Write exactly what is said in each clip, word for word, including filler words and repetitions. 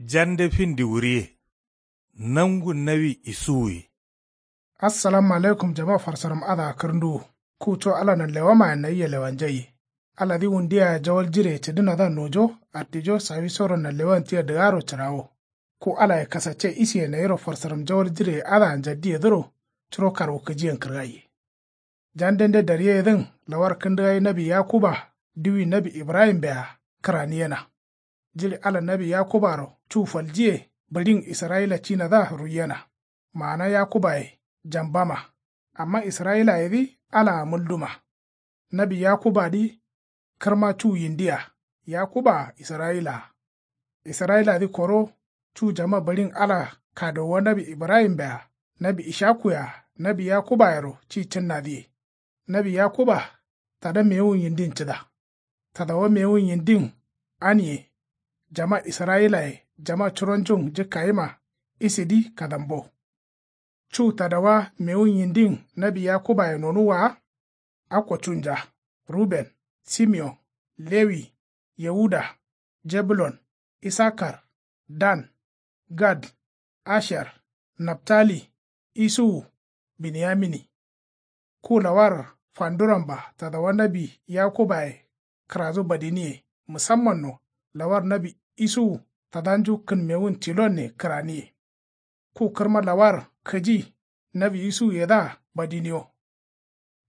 Jande fin diwuriye. Nangu nawi isuwuye. Assalamu alaikum jama farsaram adǝa kǝrǝnduwu. Ku co ala nanlewamayen nayia lewanjaiye. Aladǝ wundiyaye jawal jireye cǝdǝnadǝa nojo ardijo sawisoro nanlewan tia dǝgaro cǝrawo. Ku alaye kasacce isiye nayiro farsaram jawal jireye adǝa njaddiyedǝro curo karwukǝjiyen kǝrgaiye. Jandende daryeyedǝn lawar kǝndǝgai nawi yakuba diwi nawi ibrahimbe-a kǝraniyena. Jiɍi ala nawi yakubaro cu faljiye bǝɍin israyila cinadǝa ruiyena. Maana yakubaye jambama. Amma israyilayedǝ alaa mulduma. Nawi yakubadǝ kǝrma cu yindiya. Yakubaa israyilaa. Israyiladǝ koro cu jama bǝɍin ala kadowa nawi ibrahimbea nawi ishakuye-a nawi yakubayero ci cǝnnadǝye. Nawi yakuba tada mewun yindin cǝda. Tadawa mewun yindin aniye. Jama israyilaye jama curonjun jǝkkayima isidǝ kadambo. Cu tadawa mewun yindin nawi yakubaye nonuwwa wa. Akko cunja ruben, simeon, lewi, yauda, jebulon, isakar, dan, gad, asher, naftali, isuwu, binyamini. Ku lawar fanduranba tadawa nawi yakubaye kǝrazu badiniye musammanno lawar nawi isuwu tadanju kǝnmewun tilonne kǝraniye. Ku kǝrma lawar kǝji nawi isuwuyedǝa badiniyo.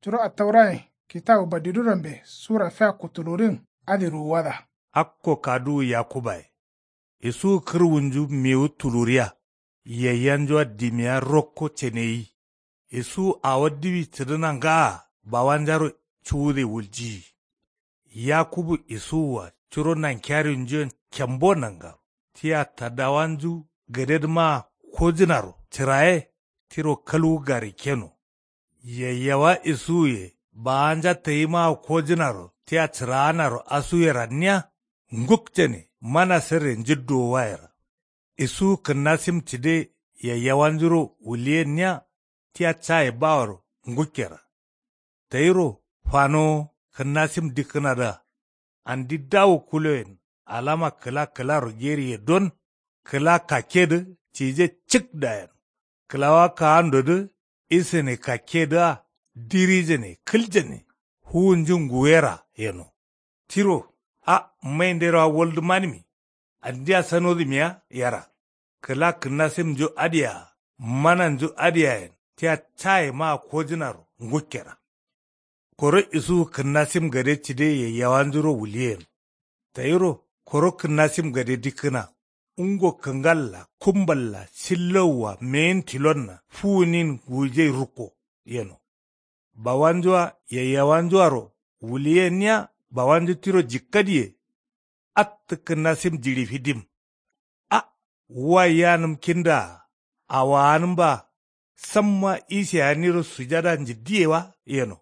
Curo attaurayen kitawu badidurambe sura fiakku tulurin adǝ ruwuwada. Akko kaduwu yakubaye. Isuwu kǝrwunju mewu tuluriya. Yayyanjua dimiya rokko ceneyi. Isuwu awo diwi cǝdǝna ngaa bawanjaro cuwude wuljiyi. Yakubu isuwua curo nankiyarinjuyen kembo nangaro tia tadawanju gadedǝmaa kojǝnaro cǝraye tiro kalwu garikkeno. Yayyawa isuwuye bawanja tayimaa kojǝnaro tia cǝraanaro asuwe ranniya ngukcane mana sǝrre njǝdduwo wayera. Isuwu kǝnnasim cǝde yayyawanjuro wuliyenniya tia caye baworo ngukkera. Tayiro fanowo kǝnnasim dikkǝnadǝa andi dawu kuloyen alama kǝla kǝlaro geriye don kǝla kakkedǝ cije cǝk dayen. Kǝlawa kaandodǝ isǝne kakkedǝa dirijane kǝljane fuwunju nguwera yeno. Tiro a maindero a woldǝ manǝmi andia sanodǝmiya yera. Kǝla kǝnnasimnju adǝyea mananju adǝyeayen tia caye maa kojǝnaro ngukkera. Koro isuwu kǝnnasim gade cǝde yayyawanjuro wuliyen. Tayiro koro kǝnnasim gade dikkǝna ungo kǝngalla kumballa sillowua meyin tilonna fuwunin nguwujai rukko yeno. Bawanjua yayyawanjuaro wuliyenniya bawanju tiro jikkadiye. Attǝ kǝnnasim jiɍi fidim. A wa yanǝm kindaa awaanǝmba samma isiyaniro sujada njǝddiye wa yeno.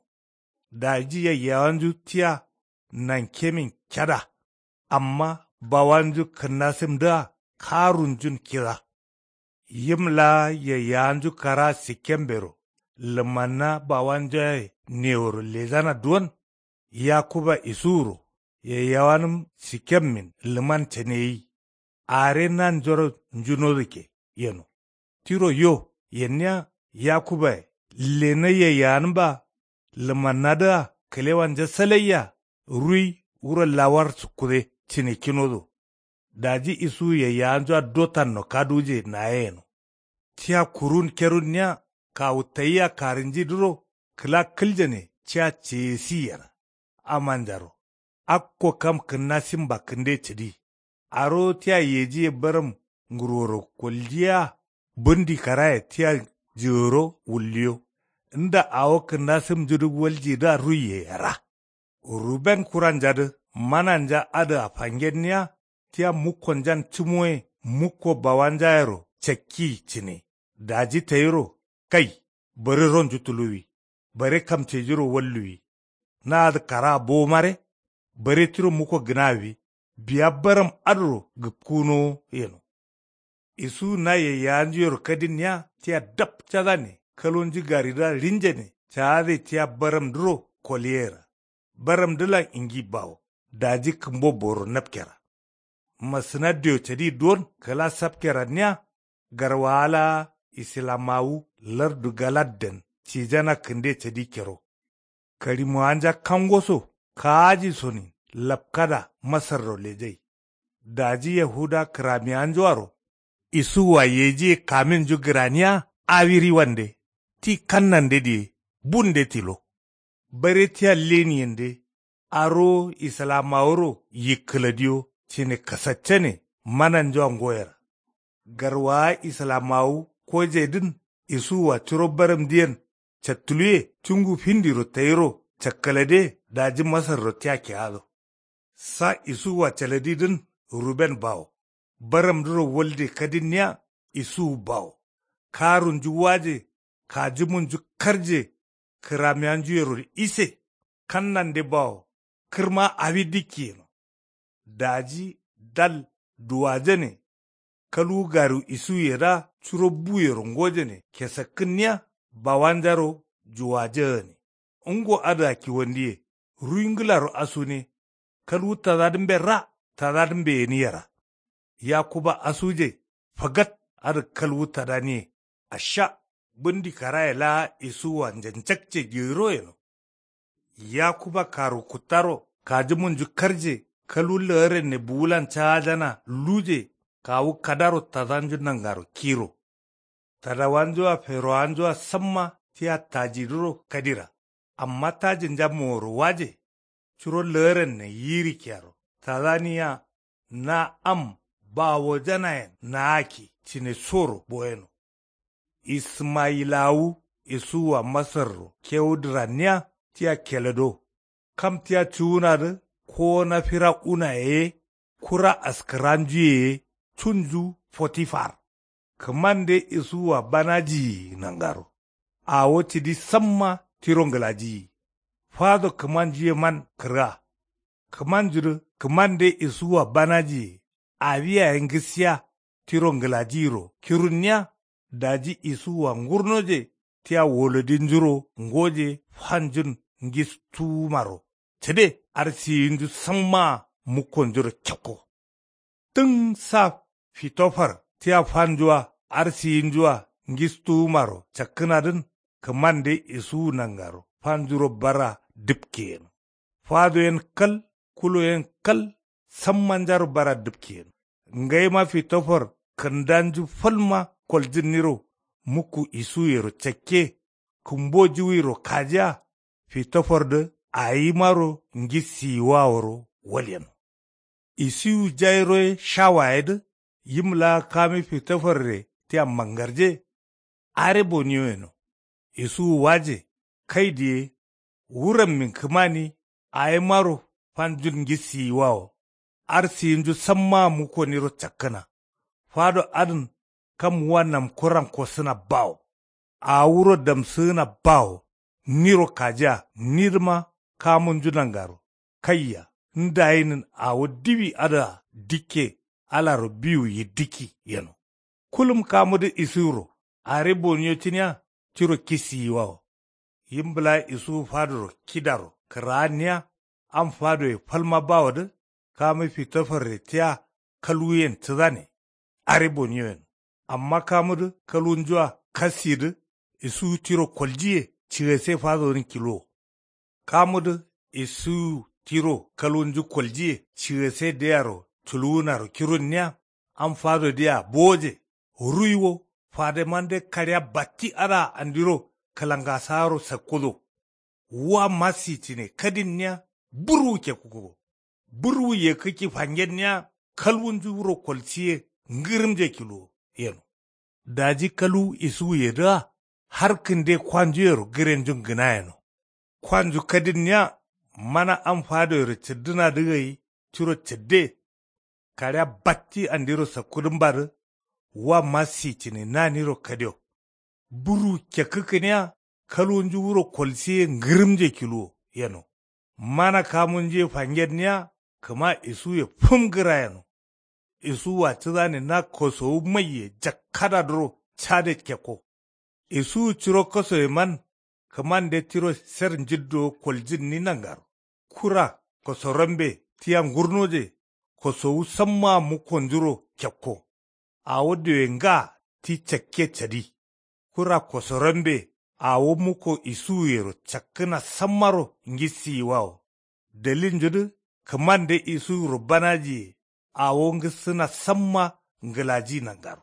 Daji yayyawanju tia nankemin keda. Amma bawanju kǝnnasimdǝa karunjun kida. Yim laa yayyawanju karaa sikkembero lǝmanna bawanjuaye neworo lejana duwon. Yakuba isuwuro yayyawanǝm sikkemmin lǝman caneyi. Are nanjoro njunodukke yeno. Tiro yo yenniya yakubaye lena yayyawanǝmba lǝmannadǝa kǝlewanja salaiya ruyi wuro lawar sukkude cǝnekkinodo. Daji isuwu yayyawanjua dotanno kaduje naye yeno. Tia kurun kerunniya kawu tayia karǝnjidǝro kǝla kǝljane tia ceyesiyera. Amanjaro akko kam kǝnnasimba kǝnde cǝdi. Arowo tia yejiye bǝrǝm ngurworo koljiya. Bǝndi karaye tia jǝgǝro wulliyo. Nda awo kǝnnasimnjudǝ waljidǝa ruiye yera. Ruben kuranjadǝ mananja adǝa fangenniya tia mukkonjan cǝmoye mukko bawanjayero cakkiyi cǝne. Daji tayiro kai bare ronju tuluwwi. Bare kamcejiro walluwwi. Na adǝ karaa bowo mare. Bare tiro mukko gǝnawwi. Biya baram adǝro gǝpkunowo yeno. Isuwu na yayyawanjuyero kadinniya tia dapcadane kalonju garidǝa ɍinjane caade tia baramdǝro koliyera. Baramdǝlan ingi bawo daji kǝmbo boro napkera. masǝnaddeyo cadi duwon kǝla sapkeranniya. Garwawa laa isilamawu lardu galadden cijana kǝnde cadikkero. Karimo'anja kangoso kaajisonin lapkada masarro lejai. Daji yahuda kǝrami'anjuaro isuwua yejiye kaminju gǝraniya. Awiriwande ti kannande diye bunde tilo. Bare tia leniyende arowo islamawuro yikkǝladiyo cine kasaccane mananjua ngoyera. Garwawa islamawu kojedǝn isuwua curo baramdiyen cattuluwe cungu findiro tayiro cakkǝlade daji masarro tia keado. Sa isuwua caladidǝn ruben bawo. Baramduro walde kadinniya isuwu bawo. Karunju waje kajumunju karje. Kǝramiyanjuyero ise kannande bawo. Kǝrma awi dikki yeno. Daji dal duwajane. Kalwu gariwu isuwuyedǝa curo buyero ngojane kesakkǝnniya bawanjaro juwajagane. Ngo adǝa kiwandiye ruwi ngǝlaro asune. Kalwu tadadǝmbe ra tadadǝmbe yeni yera. Yakuba asuje fagat adǝ kalwu tadaniye. Asha bǝndi karaye laa isuwua njanjakce gero yeno. Yakuba karu kuttaro kajumunju karje kalwu lagaren ne buwulan caajana luje. Kawu kadaro tadanju nangaro kiro. Tadawanjua ferowanjua samma tia tajidǝro kadira. Amma tajinja moworo waje. Curo lagaren ne yirikkeyaro tadaniya. Na am bawojanayen naakki cine soro boyeno. Ismayilawu isuwua masarro kewudǝranniya tia kelado. Kam tia cuwunadǝ kowona fira unaye ye kura askǝranjuye ye cunju fotifar. Kǝmande isuwua banajiyi nangaro. Awo cidi samma tiro ngǝlajiyi. Fado kǝmanju yeman kǝrga. Kǝmanjudǝ kǝmande isuwua banajiye. Awi yaye ngǝsiya tiro ngǝlajiyiro kirunniya. Daji isuwua ngurnoje tia wolodinjuro ngoje fanjun ngistuwumaro cǝde arsiyinju sammaa mukkonjuro kekko. Tǝn sa fitofar tia fanjua arsiyinjua ngistuwumaro cakkǝnadǝn. Kǝmande isuwu nangaro fanjuro bara dǝpke yeno. Fado yen kal kulo yen kal sammanjaro bara dǝpke yeno. Ngaima fitofar kǝndanju falma koljǝnniro mukku isuwuyero cakke. Kǝmbo juwiro kajiya fitofardǝ awimaro ngisiyiwaworo walyeno. Isiwu jairoye shawayedǝ yim laa kami fitofarre tia mangarje. Are boniyo yeno. Isuwu waje kai diye wurammin kǝmani awimaro fanjun ngisiyiwawo. Arsiyinju sammaa mukkoniro cakkǝna. Fado adǝn kam wa namkuran kosǝna bawo. Awo wuro damsǝgǝna bawo. Niro kajiya nidǝma kamunju nangaro. Kaiya ndayinin awo diwi adǝa dikke alaro biwu yiddikki yeno. Kulum kamudǝ isuwuro are boniyo cǝniya tiro kisiyiwawo. Yim bǝla isuwu fadoro kidaro kǝraanniya. Am fadoye falma bawodǝ kamu fitofarre tia kalwuyen cǝdane. Are boniyo yeno. Amma kamudǝ kalwunjua kasidǝ isuwu tiro koljiye cigase fadodǝn kiluwo. Kamudǝ isuwu tiro kalwunju koljiye cigase deyaro culuwunaro kirunniya. Am fadodǝa bowoje. Ruyi wo fademande kaɍea batti adǝa andiro kǝlangasaworo sakkudo. Wa masi cǝne kadinniya burwu kekkugo. Burwu yekkǝkki fangenniya kalwunju wuro kolsiye ngǝrǝmje kiluwo yeno. Daji kalwu isuwuyedǝa har kǝnde kwanjuyero gǝrenjun gǝnayeno. Kwanju kadinniya mana am fadoyero cǝddǝnadǝ gai tiro cǝdde. Kaɍea batti andiro sakkudǝmbadǝ wa masi cǝne naniro kadio. Burwu kekkǝkkǝniya kalwunju wuro kolsiye ngǝrǝmje kiluwo yeno. Mana kamunjuye fangenniya kǝma isuwuye fǝm gǝra yeno. Isuwua cǝdane na kosowu maiye jakkadadǝro cade kekko. Isuwu curo kosoyeman kǝmande tiro ser njiddowo koljǝnni nangaro. Kura kosorambe tia ngurnoje. kosowu sammaa mukkonjuro kekko. Awo diwe nga ti cakke cadi. Kura kosorambe awo mukko isuwuyero cakkǝna sammaro ngissiyiwawo. Dalilnjudǝ kǝmande isuwuro banajiye. Awo ngǝssǝna samma ngǝlaji nangaro.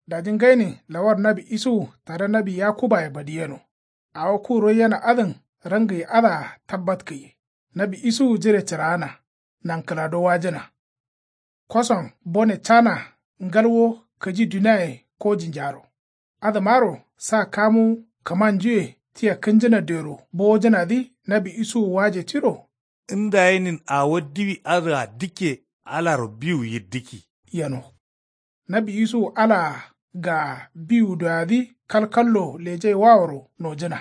Daji ngainin lawar nawi isuwu tada nawi yakubaye badiyeno. Awo ku roiyena adǝn rangǝye adǝa tabbatkǝye. Nawi isuwu jire cǝraana. Nankǝlado wajǝna. Koson bone cana ngalwo kǝji duniaye kojinjaro. Adǝmaro sa kamu kǝmanjuye tia kǝnjǝna dero bowojǝnadǝ nawi isuwu waje tiro. Ndayenin awo diwi adǝa dikke alaro biwu yiddikki. Yeno. Nawi isuwu alaa gaa biwu doyadǝ kalkallo lejaiwaworo nojǝna.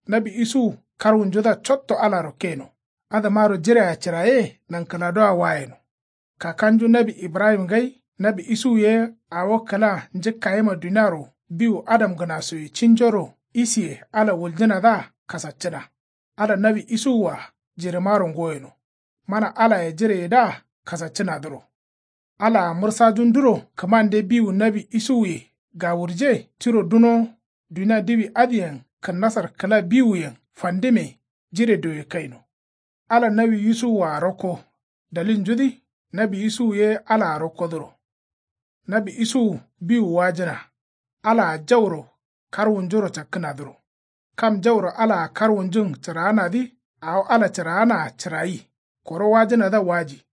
Nawi isuwu karwunjudǝa cotto alaro keno. Adǝmaro jirea cǝraye nankǝladoa wayeno. Kakanju nawi ibrahim ngai nawi isuwu ye awo kǝla njǝkkayima duniaro biwu adamgǝnasoye cinjoro isiye ala wuljǝnadǝa kasaccǝna. Ala nawi isuwua jiremaro ngoyeno. Mana alaye jireyedǝa kasaccǝnadǝro. Alaa mǝrsajunduro kǝmande biwu nawi isuwuye gawurje tiro duno dunia diwi adǝyen kǝnnasar kǝla biwuyen fandime jire doye kaino. Ala nawi yusuwua rokko dalilnjudǝ nawi yusuwu ye alaa rokkodǝro. Nawi yusuwu biwu wajǝna. Alaa jauro karwunjuro cakkǝnadǝro. Kam jauro alaa karwunjun cǝraanadǝ awo ala cǝraanaa cǝrayi. Koro wajǝnadǝa waji.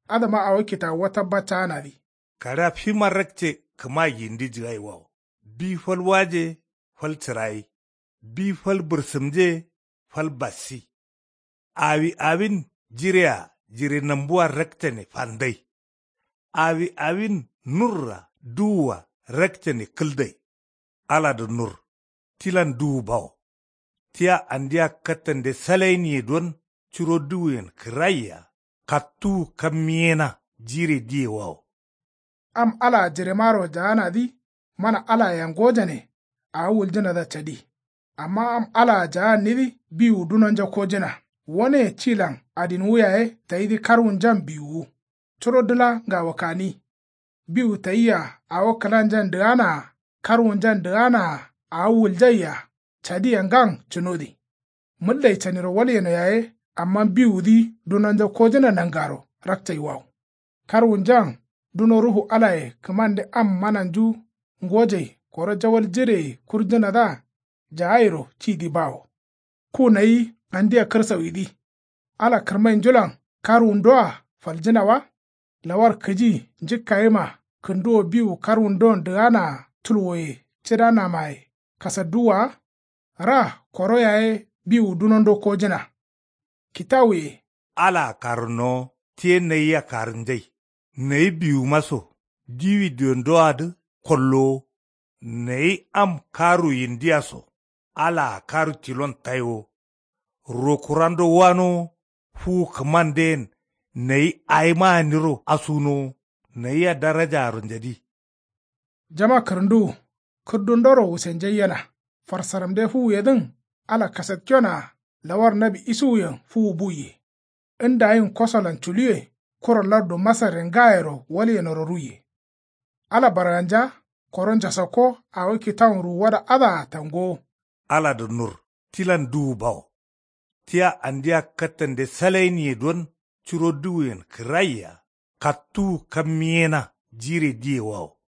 Adǝma awo kitawuwa tabbattaanadǝ. Kaɍea fima rakce kǝma yindi jǝgaiwawo. Bi fal waje fal cǝrayi. Bi fal bǝrsǝmje fal bassi. Awi awin jirea jire nambua rakcane fandai. Awi awin nurra duwua rakcane kǝldai. Aladǝ nur tilan duwu bawo. Tia andia kattande salainiye don curo duwuyen kǝraiya. Kattuwu kammiyena jire diyewawo. Am alaa jiremaro jaanadǝ mana alayea ngojane. Awo wuljǝnadǝa cadi. Amma am alaa jaannidǝ biwu dunonja kojǝna. Woneye tilan adinwu yaye tayidǝ karwunjan biwuwu. Curo dǝla ngawo kani. Biwu tayia awo kǝlanjan dǝganaa karwunjan dǝganaa awo wuljaiya cadiya ngan cǝnodǝ. Mǝllai caniro walyeno yaye amma biwudǝ dunonja kojǝna nangaro rakcaiwawo. Karwunjan duno ruhu alaye kǝmande am mananju ngojai koro jawal jireye kurjǝnadǝa jaayiro cidǝ bawo. Ku nayi andia kǝrsawidǝ. Ala kǝrmainjulan karwundoa faljǝna wa. Lawar kǝji njǝkkayima kǝnduwo biwu karwundon dǝganaa tulwoye cǝdanamaye kasadduwwa wa. Ra koro yaye biwu dunondo kojǝna. Kitawuye. Alaa karǝnowo tiye nayia karǝnjai. Nayi biwuma so diwi diondoadǝ kollowo. Nayi am karu yindia so alaa karu tilon taiwo. Rokurando wanowo fuwu kǝmanden nayi ayimaaniro asunowo. Nayia darajaaro njadi. Jama kǝrǝnduwu kǝrdundoro wusenjaiyena. Farsaramde fuwuyedǝn ala kasatkionaa lawar nawi isuwuyen fuwu buiye. Ndayin kosolan culuwe kuro lardu masarre ngayero walyenoro ruiye. Ala barganja koro njasakko awo kitawun ruwuwada adǝa tangowo. Aladǝ nur tilan duwu bawo. Tia andia kattande salainiye don curo duwuyen kǝraiya. Kattuwu kammiyena jire diyewawo.